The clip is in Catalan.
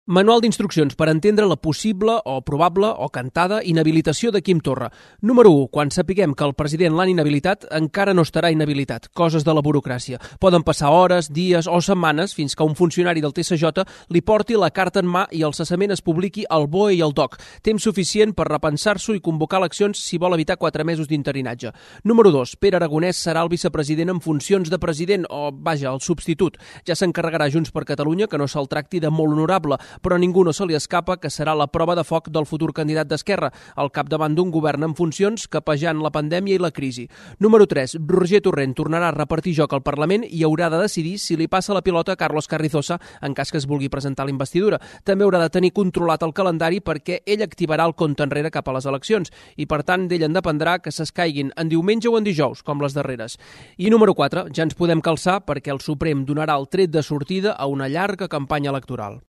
Manual d'instruccions per entendre la possible o probable o cantada inhabilitació de Quim Torra. Número 1. Quan sapiguem que el president l'han inhabilitat, encara no estarà inhabilitat. Coses de la burocràcia. Poden passar hores, dies o setmanes fins que un funcionari del TSJ li porti la carta en mà i el cessament es publiqui al BOE i al DOC. Temps suficient per repensar-s'ho i convocar eleccions si vol evitar 4 mesos d'interinatge. Número 2. Pere Aragonès serà el vicepresident en funcions de president o, vaja, el substitut. Ja s'encarregarà Junts per Catalunya que no se'l tracti de molt honorable, però a ningú no se li escapa que serà la prova de foc del futur candidat d'Esquerra, al capdavant d'un govern en funcions capejant la pandèmia i la crisi. Número 3. Roger Torrent tornarà a repartir joc al Parlament i haurà de decidir si li passa la pilota a Carlos Carrizosa en cas que es vulgui presentar a la investidura. També haurà de tenir controlat el calendari perquè ell activarà el compte enrere cap a les eleccions i, per tant, d'ell en dependrà que s'escaiguin en diumenge o en dijous, com les darreres. I número 4. Ja ens podem calçar perquè el Suprem donarà el tret de sortida a una llarga campanya electoral.